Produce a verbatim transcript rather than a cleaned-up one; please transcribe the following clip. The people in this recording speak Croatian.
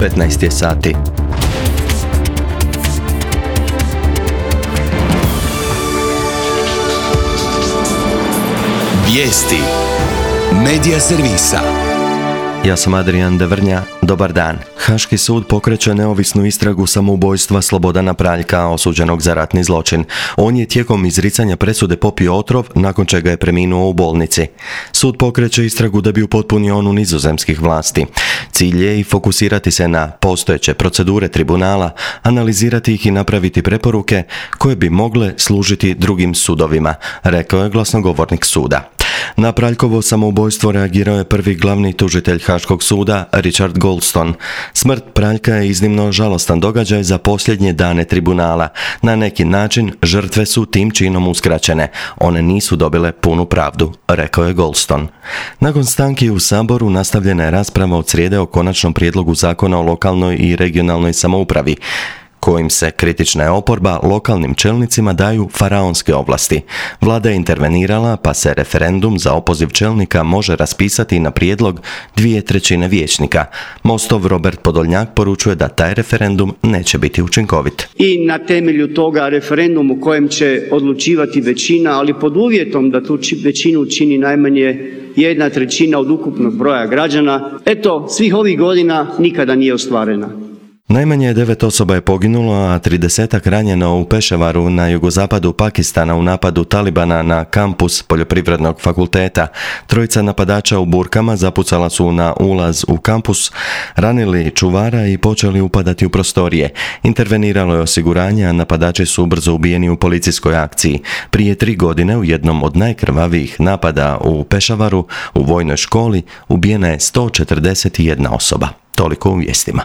petnaest je sati. Vijesti Medija servisa. Ja sam Adrian Devrnja, dobar dan. Haški sud pokreće neovisnu istragu samoubojstva Slobodana Praljka, osuđenog za ratni zločin. On je tijekom izricanja presude popio otrov, nakon čega je preminuo u bolnici. Sud pokreće istragu da bi upotpunio onu nizozemskih vlasti. Cilj je i fokusirati se na postojeće procedure tribunala, analizirati ih i napraviti preporuke koje bi mogle služiti drugim sudovima, rekao je glasnogovornik suda. Na Praljkovo samoubojstvo reagirao je prvi glavni tužitelj Haškog suda, Richard Goldstone. Smrt Praljka je iznimno žalostan događaj za posljednje dane tribunala. Na neki način žrtve su tim činom uskraćene. One nisu dobile punu pravdu, rekao je Goldstone. Nakon stanki u Saboru nastavljena je rasprava od srijede o konačnom prijedlogu zakona o lokalnoj i regionalnoj samoupravi, kojim se kritična oporba lokalnim čelnicima daju faraonske ovlasti. Vlada je intervenirala, pa se referendum za opoziv čelnika može raspisati na prijedlog dvije trećine vijećnika. Mostov Robert Podolnjak poručuje da taj referendum neće biti učinkovit. I na temelju toga referendum u kojem će odlučivati većina, ali pod uvjetom da tu većinu čini najmanje jedna trećina od ukupnog broja građana, eto, svih ovih godina nikada nije ostvarena. Najmanje devet osoba je poginulo, a tridesetak ranjeno u Pešavaru na jugozapadu Pakistana u napadu Talibana na kampus Poljoprivrednog fakulteta. Trojica napadača u burkama zapucala su na ulaz u kampus, ranili čuvara i počeli upadati u prostorije. Interveniralo je osiguranje, a napadači su brzo ubijeni u policijskoj akciji. Prije tri godine u jednom od najkrvavijih napada u Pešavaru u vojnoj školi ubijena je sto četrdeset jedna osoba. Toliko u vijestima.